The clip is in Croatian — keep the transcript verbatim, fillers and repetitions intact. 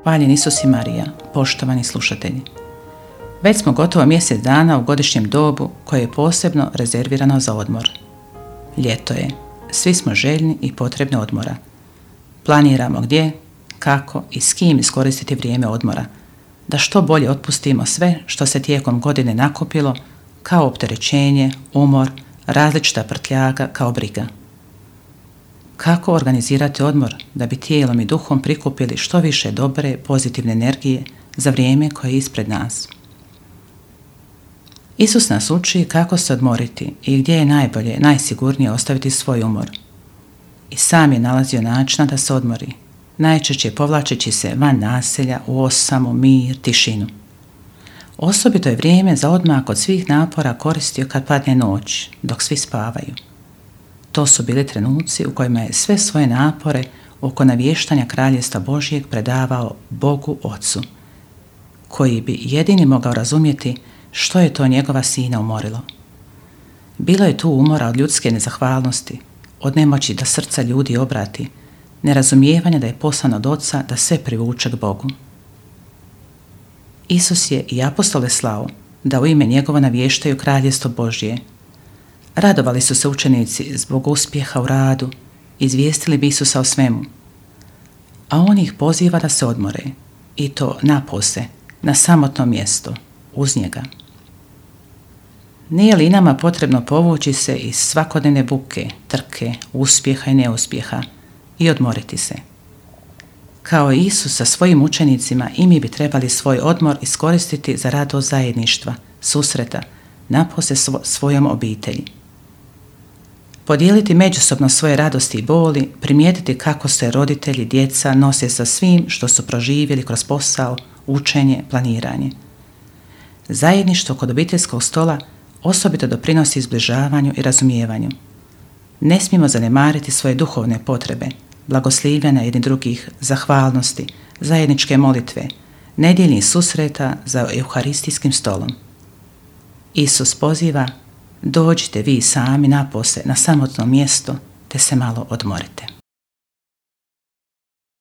Hvaljen Isus i Marija, poštovani slušatelji. Već smo gotovo mjesec dana u godišnjem dobu koje je posebno rezervirano za odmor. Ljeto je, svi smo željni i potrebni odmora. Planiramo gdje, kako i s kim iskoristiti vrijeme odmora, da što bolje otpustimo sve što se tijekom godine nakupilo kao opterećenje, umor, različita prtljaga kao briga. Kako organizirati odmor da bi tijelom i duhom prikupili što više dobre, pozitivne energije za vrijeme koje je ispred nas? Isus nas uči kako se odmoriti i gdje je najbolje, najsigurnije ostaviti svoj umor. I sam je nalazio načina da se odmori, najčešće povlačeći se van naselja u osamu, mir, tišinu. Osobito je vrijeme za odmak od svih napora koristio kad padne noć, dok svi spavaju. To su bili trenuci u kojima je sve svoje napore oko navještanja Kraljevstva Božjeg predavao Bogu Ocu, koji bi jedini mogao razumjeti što je to njegova sina umorilo. Bilo je tu umora od ljudske nezahvalnosti, od nemoći da srca ljudi obrati, nerazumijevanja da je poslan od Oca da sve privuče k Bogu. Isus je i apostole slao da u ime njegova navještaju Kraljevstvo Božje. Radovali su se učenici zbog uspjeha u radu, izvijestili bi Isusa o svemu. A on ih poziva da se odmore, i to napose, na samotno mjesto, uz njega. Nije li nama potrebno povući se iz svakodnevne buke, trke, uspjeha i neuspjeha i odmoriti se? Kao i Isus sa svojim učenicima, i mi bi trebali svoj odmor iskoristiti za radost zajedništva, susreta, napose svo, svojom obitelji. Podijeliti međusobno svoje radosti i boli, primijetiti kako se roditelji, djeca nose sa svim što su proživjeli kroz posao, učenje, planiranje. Zajedništvo kod obiteljskog stola osobito doprinosi zbližavanju i razumijevanju. Ne smijemo zanemariti svoje duhovne potrebe, blagoslivljanja jedni drugih, zahvalnosti, zajedničke molitve, nedjeljnih susreta za euharistijskim stolom. Isus poziva: dođite vi sami napose na samotno mjesto te se malo odmorite.